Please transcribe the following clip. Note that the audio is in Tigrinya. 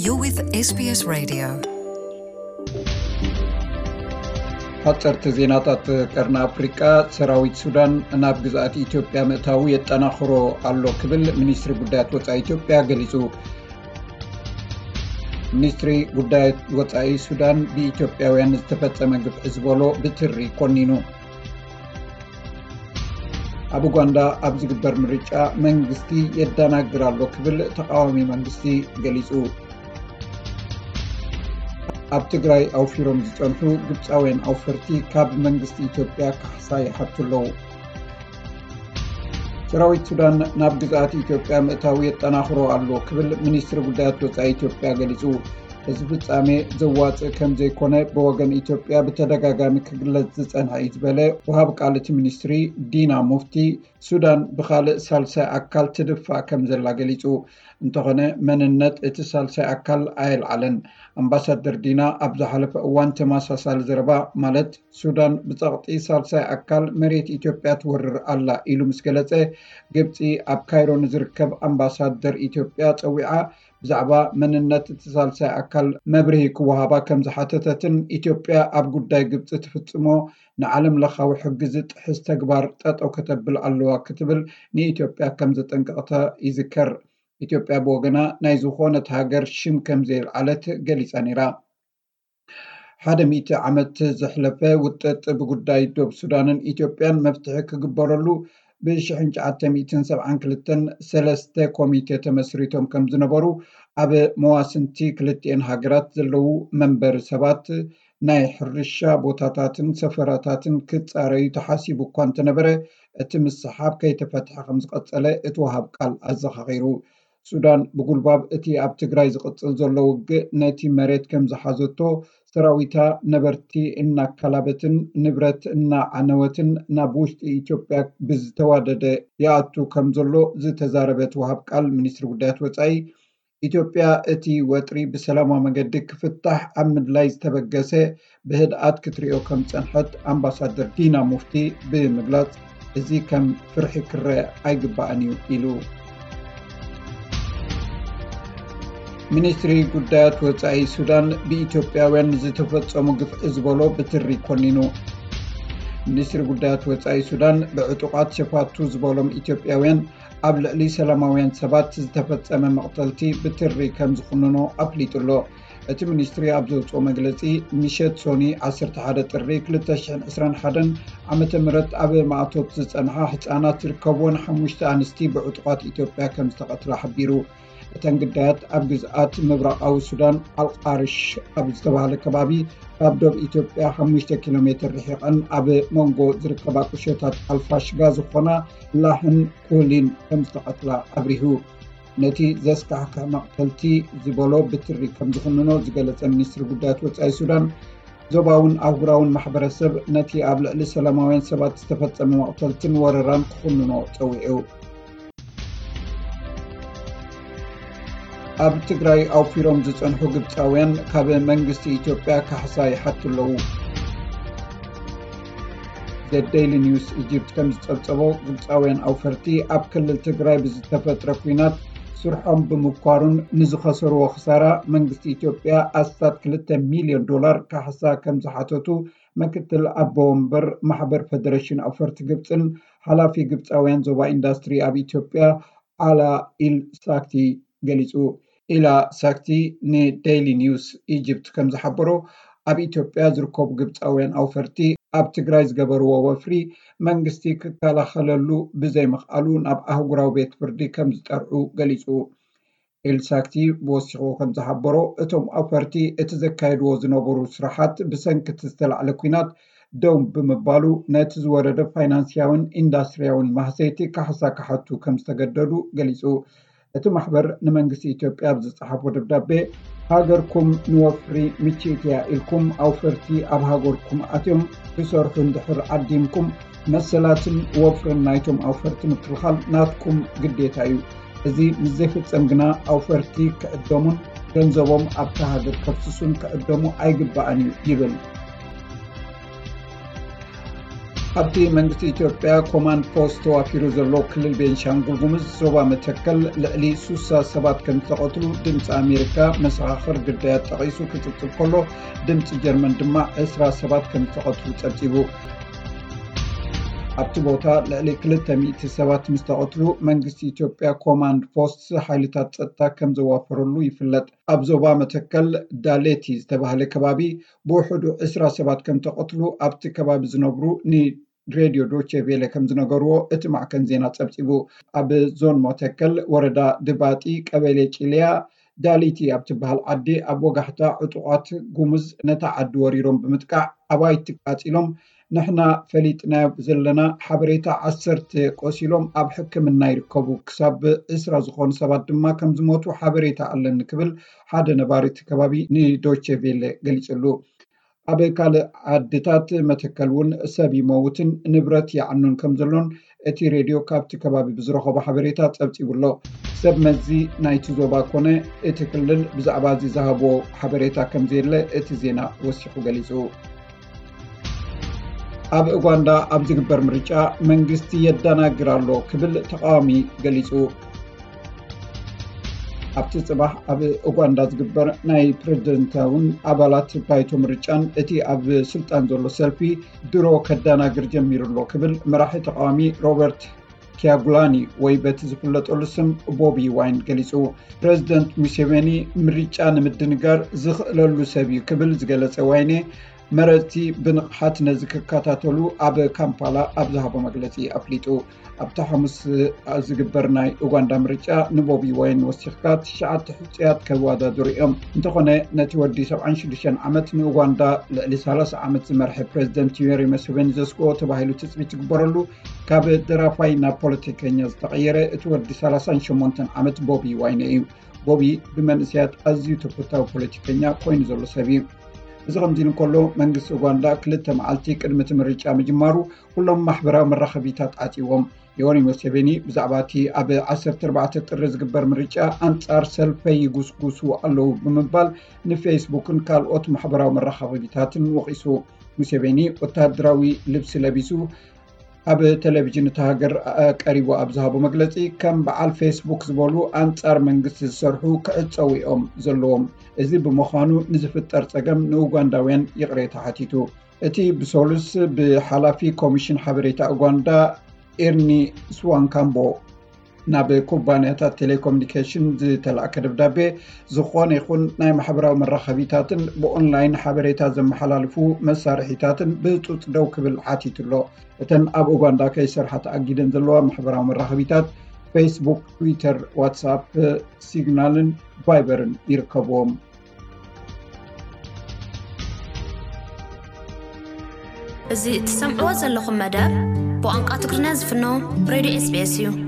You're with SBS Radio. ሓፀርቲ ዜናታት ቀርኒ ኣፍሪቃ። ሰራዊት ሱዳን ናብ ግዝኣት ኢትዮጵያ ምእታዉ የጠናኽሮ ኣሎ ክብል ሚኒስትሪ ጉዳያት ወፃኢ ኢትዮጵያ ገሊፁ። ሚኒስትሪ ጉዳያት ወፃኢ ሱዳን ብኢትዮጵያውያን ዝተፈፀመ ግፍዒ ዝበሎ ብትሪ ኮኒኑ። ኣብ ኡጋንዳ ኣብ ዝግበር ምርጫ መንግስቲ የደናግር ኣሎ ክብል ተቃዋሚ መንግስቲ ገሊፁ። ኣብ ትግራይ ኣውፊሮም ዝፀንሑ ግብፃውያን ኣውፈርቲ ካብ መንግስቲ ኢትዮጵያ ካሕሳ ይሓቱ ኣለዉ። ሰራዊት ሱዳን ናብ ግዝኣት ኢትዮጵያ ምእታው የጠናኽሮ ኣሎ ክብል ሚኒስትሪ ጉዳያት ወፃኢ ኢትዮጵያ ገሊፁ። እዚ ፍጻሜ ዘዋፅእ ከም ዘይኮነ ብወገን ኢትዮጵያ ብተደጋጋሚ ክግለጽ ዝጸንሐ እዩ ዝበለ ወሃብ ቃል እቲ ሚኒስትሪ ዲና ሙፍቲ፣ ሱዳን ብኻልእ ሳልሳይ ኣካል ትድፋእ ከም ዘላ ገሊጹ። እንተኾነ መንነት እቲ ሳልሳይ ኣካል ኣየልዓለን። ኣምባሳደር ዲና ኣብ ዝሓለፈ እዋን ተመሳሳሊ ዘረባ፣ ማለት ሱዳን ብጸቕጢ ሳልሳይ ኣካል መሬት ኢትዮጵያ ትወርር ኣላ ኢሉ ምስ ገለጸ፣ ግብጺ ኣብ ካይሮ ንዝርከብ ኣምባሳደር ኢትዮጵያ ጸዊዓ ብዛዕባ መንነት እቲ ሳልሳይ ኣካል መብርሂ ክወሃባ ከም ዝሓተተትን ኢትዮጵያ ኣብ ጉዳይ ግብጺ ትፍጽሞ ንዓለም ለኻዊ ሕጊ ዝጥሕስ ተግባር ጠጠው ከተብል ኣለዋ ክትብል ንኢትዮጵያ ከም ዘጠንቀቕታ ይዝከር። ኢትዮጵያ ብወገና ናይ ዝኾነት ሃገር ሽም ከም ዘየልዓለት ገሊጻ ነይራ። ሓደ ሚእቲ ዓመት ዘሕለፈ ውጥጥ ብጉዳይ ዶብ ሱዳንን ኢትዮጵያን መፍትሒ ክግበረሉ ብ ሽሕን ትሽዓተ ሚእትን ሰብዓን ክልተን ሰለስተ ኮሚቴ ተመስሪቶም ከም ዝነበሩ ኣብ መዋስንቲ ክልቲኤን ሃገራት ዘለዉ መንበሪ ሰባት ናይ ሕርሻ ቦታታትን ሰፈራታትን ክጻረዩ ተሓሲቡ እኳ እንተነበረ እቲ ምስሓብ ከይተፈትሐ ከም ዝቐጸለ እቲ ወሃብ ቃል ኣዘኻኺሩ። ሱዳን ብጉልባብ እቲ ኣብ ትግራይ ዝቕጽል ዘሎ ውግእ ነቲ መሬት ከም ዝሓዘቶ ሰራዊታ ነበርቲ እናካላበትን ንብረት እናዓነወትን ናብ ውሽጢ ኢትዮጵያ ብዝተዋደደ ይኣቱ ከም ዘሎ ዝተዛረበት ወሃብ ቃል ሚኒስትሪ ጉዳያት ወፃኢ ኢትዮጵያ እቲ ወጥሪ ብሰላማዊ መገዲ ክፍታሕ ኣብ ምድላይ ዝተበገሰ ብህድኣት ክትሪኦ ከም ዝጸንሐት ኣምባሳደር ዲና ሙፍቲ ብምግላጽ እዚ ከም ፍርሒ ክረአ ኣይግባእን እዩ ኢሉ። ሚኒስትሪ ጉዳያት ወጻኢ ሱዳን ብኢትዮጵያውያን ዝተፈጸሙ ግፍዒ ዝበሎ ብትሪ ኮኒኑ። ሚኒስትሪ ጉዳያት ወጻኢ ሱዳን ብዕጡቓት ሸፋቱ ዝበሎም ኢትዮጵያውያን ኣብ ልዕሊ ሰላማውያን ሰባት ዝተፈጸመ መቕተልቲ ብትሪ ከም ዝኹንኖ ኣፍሊጡ ኣሎ። እቲ ሚኒስትሪ ኣብ ዘውፅኦ መግለፂ ምሸት ሶኒ ዓሰርተ ሓደ ጥሪ ክልተ ሽሕን ዕስራን ሓደን ዓመተ ምህረት ኣብ ማእቶት ዝጸንሓ ህጻናት ዝርከብወን ሓሙሽተ ኣንስቲ ብዕጡቓት ኢትዮጵያ ከም ዝተቐትላ ሓቢሩ። እተን ግዳያት ኣብ ግዝኣት ምብራቓዊ ሱዳን ኣልቃርሽ ኣብ ዝተባህለ ከባቢ ካብ ዶብ ኢትዮጵያ ሓሙሽተ ኪሎ ሜትር ርሒቐን ኣብ መንጎ ዝርከባ ቁሸታት ኣልፋሽጋ ዝኾና ላሕን ኮሊን ከም ዝተቐትላ ኣብሪሁ። ነቲ ዘስካሕክሕ መቕተልቲ ዝበሎ ብትሪ ከም ዝኹንኖ ዝገለጸ ሚኒስትሪ ጉዳያት ወጻኢ ሱዳን፣ ዞባውን ኣህጉራውን ማሕበረሰብ ነቲ ኣብ ልዕሊ ሰላማውያን ሰባት ዝተፈጸመ መቕተልትን ወረራን ክኹንኖ ጸዊዑ። ኣብ ትግራይ ኣውፊሮም ዝጸንሑ ግብጻውያን ካብ መንግስቲ ኢትዮጵያ ካሕሳ ይሓቱ ኣለዉ። ዘ ዴይሊ ኒውስ ኢጅፕት ከም ዝጸብጸቦ፣ ግብጻውያን ኣውፈርቲ ኣብ ክልል ትግራይ ብዝተፈጥረ ኲናት ስርሖም ብምኳሩን ንዝኸሰርዎ ክሳራ መንግስቲ ኢትዮጵያ ኣስታት ክልተ ሚልዮን ዶላር ካሕሳ ከም ዝሓተቱ ምክትል ኣቦ ወንበር ማሕበር ፈደሬሽን ኣውፈርቲ ግብጽን ሓላፊ ግብጻውያን ዞባ ኢንዳስትሪ ኣብ ኢትዮጵያ ኣላ ኢል ሳክቲ ገሊጹ። ኢላ ሳክቲ ንዴይሊ ኒውስ ኢጅፕት ከም ዝሓበሮ፣ ኣብ ኢትዮጵያ ዝርከቡ ግብጻውያን ኣውፈርቲ ኣብ ትግራይ ዝገበርዎ ወፍሪ መንግስቲ ክከላኸለሉ ብዘይምኽኣሉ ናብ ኣህጉራዊ ቤት ፍርዲ ከም ዝጠርዑ ገሊጹ። ኢል ሳክቲ ወሲኹ ከም ዝሓበሮ፣ እቶም ኣውፈርቲ እቲ ዘካየድዎ ዝነበሩ ስራሓት ብሰንኪ እቲ ዝተላዕለ ኲናት ደው ብምባሉ ነቲ ዝወረደ ፋይናንስያውን ኢንዳስትሪያውን ማህሰይቲ ካሕሳ ክሓቱ ከም ዝተገደዱ ገሊጹ። እቲ ማሕበር ንመንግስቲ ኢትዮጵያ ኣብ ዝጸሓፎ ደብዳቤ፣ ሃገርኩም ንወፍሪ ምችእቲ እያ ኢልኩም ኣውፈርቲ ኣብ ሃገርኩም ኣትዮም ክሰርሑ እንድሕር ዓዲምኩም፣ መሰላትን ወፍርን ናይቶም ኣውፈርቲ ምክልኻል ናትኩም ግዴታ እዩ። እዚ ምስ ዘይፍጸም ግና ኣውፈርቲ ክዕደሙን ገንዘቦም ኣብታ ሃገር ከፍስሱን ክዕደሙ ኣይግባእን እዩ ይብል። ኣብቲ መንግስቲ ኢትዮጵያ ኮማንድ ፖስት ተዋፊሩ ዘሎ ክልል ቤንሻንጉል ጉሙዝ ዞባ መተከል ልዕሊ ሱሳ ሰባት ከም ዝተቐትሉ ድምፂ ኣሜሪካ መሰኻኽር ግዳያት ጠቒሱ ክፅብፅብ ከሎ፣ ድምፂ ጀርመን ድማ ዕስራ ሰባት ከም ዝተቐትሉ ፀብፂቡ። ኣብቲ ቦታ ልዕሊ ክልተ ሚእቲ ሰባት ምስ ተቐትሉ፣ መንግስቲ ኢትዮጵያ ኮማንድ ፖስት ሓይልታት ጸጥታ ከም ዘዋፈረሉ ይፍለጥ። ኣብ ዞባ መተከል ዳሌቲ ዝተባህለ ከባቢ ብውሕዱ ዕስራ ሰባት ከም ተቐትሉ ኣብቲ ከባቢ ዝነብሩ ንሬድዮ ዶቼ ቬለ ከም ዝነገርዎ እቲ ማዕከን ዜና ጸብጺቡ። ኣብ ዞን መተከል ወረዳ ድባጢ ቀበሌ ጭልያ ዳሊቲ ኣብ ትበሃል ዓዲ ኣብ ወጋሕታ ዕጡቓት ጉሙዝ ነታ ዓዲ ወሪሮም ብምጥቃዕ ኣባይቲ ቃጺሎም፣ ንሕና ፈሊጥናዮ ዘለና ሓበሬታ ዓሰርተ ቆሲሎም ኣብ ሕክምና ይርከቡ፣ ክሳብ ዕስራ ዝኾኑ ሰባት ድማ ከም ዝሞቱ ሓበሬታ ኣለኒ ክብል ሓደ ነባሪ እቲ ከባቢ ንዶቼ ቬለ ገሊጹሉ። ኣብ ካልእ ዓድታት መተከል እውን ሰብ ይመውትን ንብረት ይዓኑን ከም ዘሎን እቲ ሬድዮ ካብቲ ከባቢ ብዝረኸቦ ሓበሬታ ጸብጺቡ ኣሎ። ሰብ መዚ ናይቲ ዞባ ኮነ እቲ ክልል ብዛዕባ እዚ ዝሃብዎ ሓበሬታ ከም ዘየለ እቲ ዜና ወሲኹ ገሊጹ። ኣብ ኡጋንዳ ኣብ ዝግበር ምርጫ መንግስቲ የደናግር ኣሎ ክብል ተቃዋሚ ገሊጹ። ኣብቲ ጽባሕ ኣብ ኡጋንዳ ዝግበር ናይ ፕሬዝደንታውን ኣባላት ባይቶ ምርጫን እቲ ኣብ ስልጣን ዘሎ ሰልፊ ድሮ ከደናግር ጀሚሩ ኣሎ ክብል መራሒ ተቃዋሚ ሮበርት ኪያጉላኒ ወይ በቲ ዝፍለጠሉ ስም ቦቢ ዋይን ገሊጹ። ፕሬዝደንት ሙሴቬኒ ምርጫ ንምድንጋር ዝኽእለሉ ሰብ እዩ ክብል ዝገለጸ ዋይኔ፣ መረጽቲ ብንቕሓት ነዚ ክከታተሉ ኣብ ካምፓላ ኣብ ዝሃቦ መግለጺ ኣፍሊጡ። ኣብቲ ሓሙስ ዝግበር ናይ ኡጋንዳ ምርጫ ንቦቢ ዋይን ወሲኽካ ትሽዓተ ሕጹያት ከወዳድሩ እዮም። እንተኾነ ነቲ ወዲ ሰብዓን ሽዱሽተን ዓመት ንኡጋንዳ ልዕሊ ሰላሳ ዓመት ዝመርሐ ፕሬዝደንት ዩዌሪ ሙሴቬኒ ዘስግኦ ተባሂሉ ትጽቢት ዝግበረሉ ካብ ደራፋይ ናብ ፖለቲከኛ ዝተቐየረ እቲ ወዲ ሰላሳን ሸሞንተን ዓመት ቦቢ ዋይነ እዩ። ቦቢ ብመንእሰያት ኣዝዩ ተፈታዊ ፖለቲከኛ ኮይኑ ዘሎ ሰብ እዩ። እዚ ከምዚ ኢሉ እንከሎ መንግስቲ ኡጋንዳ ክልተ መዓልቲ ቅድሚ እቲ ምርጫ ምጅማሩ ኩሎም ማሕበራዊ መራኸቢታት ዓጽዎም። ዮወሪ ሙሴቬኒ ብዛዕባ እቲ ኣብ ዓሰርተ ኣርባዕተ ጥሪ ዝግበር ምርጫ ኣንጻር ሰልፈይ ይጉስጉሱ ኣለዉ ብምባል ንፌስቡክን ካልኦት ማሕበራዊ መራኸቢታትን ወቒሱ። ሙሴቬኒ ወተሃደራዊ ልብሲ ለቢሱ ኣብ ቴሌቪዥን እታ ሃገር ቀሪቡ ኣብ ዝሃቦ መግለጺ፣ ከም በዓል ፌስቡክ ዝበሉ ኣንጻር መንግስቲ ዝሰርሑ ክዕጸዉ እዮም ዘለዎም። እዚ ብምዃኑ ንዝፍጠር ጸገም ንኡጋንዳውያን ይቕሬታ ሓቲቱ። እቲ ብሰሉስ ብሓላፊ ኮሚሽን ሓበሬታ ኡጋንዳ ኤርኒ ስዋንካምቦ ናብ ኩባንያታት ቴሌኮሙኒኬሽን ዝተላእከ ደብዳቤ፣ ዝኾነ ይኹን ናይ ማሕበራዊ መራኸቢታትን ብኦንላይን ሓበሬታ ዘመሓላልፉ መሳርሒታትን ብህጹጽ ደው ክብል ሓቲቱ ኣሎ። እተን ኣብ ኡጋንዳ ከይሰርሓ ተኣጊደን ዘለዋ ማሕበራዊ መራኸቢታት ፌስቡክ፣ ትዊተር፣ ዋትስኣፕ፣ ሲግናልን ቫይበርን ይርከብዎም። እዚ እትሰምዕዎ ዘለኹም መደብ ብቋንቋ ትግርኛ ዝፍኖ ሬድዮ ኤስቢኤስ እዩ።